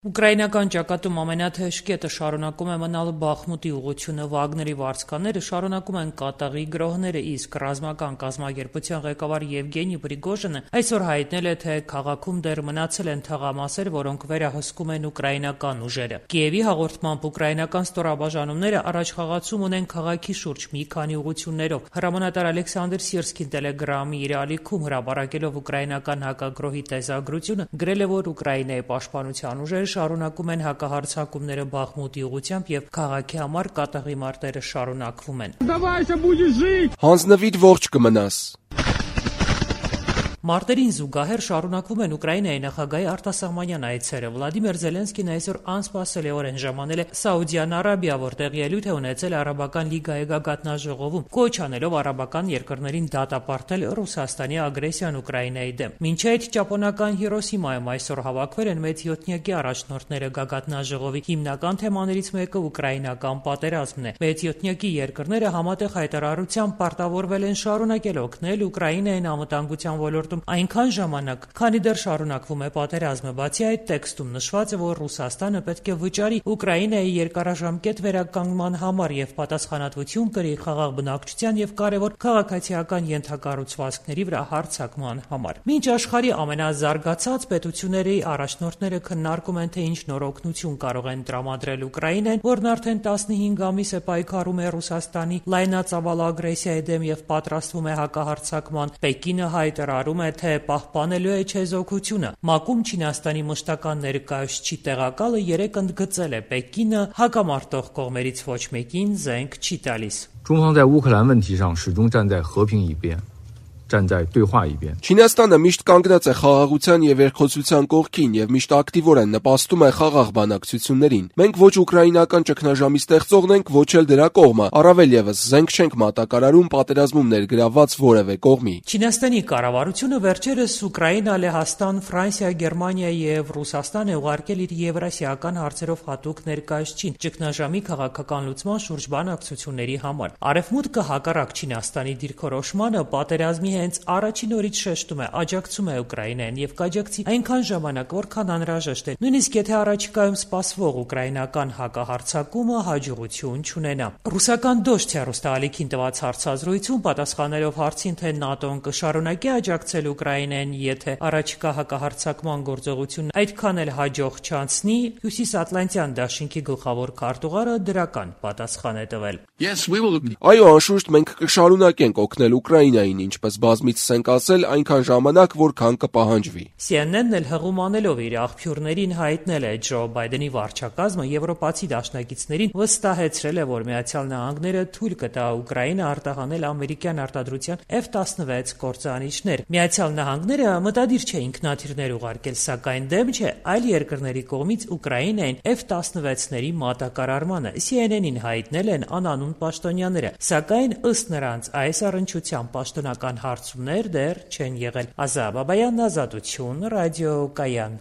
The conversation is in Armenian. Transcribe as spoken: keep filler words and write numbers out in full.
Ուկրաինական ճակատում ամենաթեժ կետը շարունակում է մնալ Բախմուտի ուղղությունը, Վագների վարձկանները շարունակում են կատաղի գրոհները, իսկ ռազմական կազմակերպության ղեկավար Եվգենի Պրիգոժինը այսօր հայտնել է, թե քաղաքում դեռ մնացել են թաղամասեր, որոնք վերահսկում են ուկրաինական ուժերը։ Կիևի հաղորդմամբ ուկրաինական ստորաբաժանումները առաջխաղացում ունեն քաղաքի շուրջ մի քանի ուղղություններով։ Հրամանատար Ալեքսանդր Սիրսկին Տելեգրամի իր ալիքում հրապարակելով ուկրաինական հակագրոհի տեսագրությունը գրել է, որ Ուկրաինայի պաշտպանության ուժերը շարունակում են հակահարձակումները Բախմուտի ուղղությամբ եւ քաղաքի համար կատաղի մարտերը շարունակվում են։ Հանձնվիր, ողջ կմնաս։ Մարտերին զուգահեռ շարունակվում են Ուկրաինայի նախագահի արտասահմանյան այցերը։ Վլադիմիր Զելենսկին այսօր անսպասելիորեն ժամանել է Սաուդյան Արաբիա, որտեղ ելույթ է ունեցել Արաբական լիգայի գագաթնաժողովում, կոչ անելով արաբական երկրներին դատապարտել Ռուսաստանի ագրեսիան Ուկրաինայի դեմ։ Մինչ այդ ճապոնական Հիրոսիմայում այսօր հավաքվել են մեծ յոթնյակի առաջնորդները գագաթնաժողովի հիմնական թեմաներից մեկը ուկրաինական պատերազմն է։ Մեծ յոթնյակի երկրները համատեղ հայտարարությամբ պարտավորվել են շարունակել օգնել Ուկրաինային անվտանգության ոլորտում այնքան ժամանակ, քանի դեռ շարունակվում է պատերազմը։ Բացի այդ, տեքստում նշված է, որ Ռուսաստանը պետք է վճարի Ուկրաինայի երկարաժամկետ վերականգնման համար եւ պատասխանատվություն կրի խաղաղ բնակչության եւ կարեւոր քաղաքացիական ենթակառուցվածքների վրա հարձակման համար։ Մինչ աշխարհի ամենազարգացած պետությունների առաջնորդները քննարկում են, թե ինչ նոր օգնություն կարող են տրամադրել Ուկրաինային, որն արդեն տասնհինգ ամիս է պայքարում է Ռուսաստանի լայնածավալ ագրեսիայի դեմ եւ պատրաստվում է հակահարձակման, Պեկինը հայտարարում է, թե պահպանելու է չեզոքությունը։ ՄԱԿ-ում Չինաստանի մշտական ներկայացուցիչի տեղակալը երեկ ընդգծել է, Պեկինը հակամարտող կողմերից ոչ մեկին զենք չի տալիս։ 中方在乌克兰问题上始终站在和平一边，站在对话一边。 Չինաստանը միշտ կանգնած է խաղաղության եւ երկխոսության կողքին եւ միշտ ակտիվորեն նպաստում է խաղաղ բանակցություններին։ Մենք ոչ ուկրաինական ճգնաժամի ստեղծողն ենք, ոչ էլ դրա կողմը, առավել եւս զենք չենք մատակարարում պատերազմում ներգրավված որևէ կողմի։ Չինաստանի կառավարությունը վերջերս Ուկրաինա, Լեհաստան, Ֆրանսիա, Գերմանիա եւ Ռուսաստան է ուղարկել իր եվրասիական հարցերով հատուկ ներկայացուցիչ ճգնաժամի քաղաքական լուծման շուրջ բանակցությունների համար։ Արևմուտքը հակառակ Չինաստանի դիրքորոշմանը պատերազմի հենց առաջին օրից շեշտում է, աջակցում է Ուկրաինային եւ կաջակցի այնքան ժամանակ, որքան անհրաժեշտ է, նույնիսկ եթե առաջիկայում սպասվող ուկրաինական հակահարձակումը հաջողություն չունենա։ Ռուսական Դոշտ հեռուստաալիքին տված հարցազրույցում պատասխանելով հարցին, թե ՆԱՏՕ-ն կշարունակի աջակցել Ուկրաինային, եթե առաջիկա հակահարձակման գործողությունն այդքան էլ հաջող չանցնի, Հյուսիսատլանտյան դաշինքի գլխավոր քարտուղարը դրական պատասխան է տվել։ Այո, անշուշտ մենք կշարունակենք օգնել Ուկրաինային, ինչպես բազմիցս ենք ասել, այնքան ժամանակ, որքան կպահանջվի։ C N N-ն էլ հղումանելով իր աղբյուրներին հայտնել է, Ջո Բայդենի վարչակազմը եվրոպացի դաշնակիցներին վստահեցրել է, որ Միացյալ Նահանգները թույլ կտա Ուկրաինա արտահանել ամերիկյան արտադրության F տասնվեց կործանիչներ։ Միացյալ Նահանգները մտադիր չէ ինքնաթիռներ ուղարկել, սակայն դեմ չէ այլ երկրների կողմից Ուկրաինային F տասնվեցների մատակարարմանը։ C N N-ին հայտնել են անանուն պաշտոնյաները, սակայն ըստ նրանց այս առնչությամբ պաշտոնական հարցումներ դեռ չեն եղել։ Ազա Բաբայան, Ազատություն, ռադիո Կայան։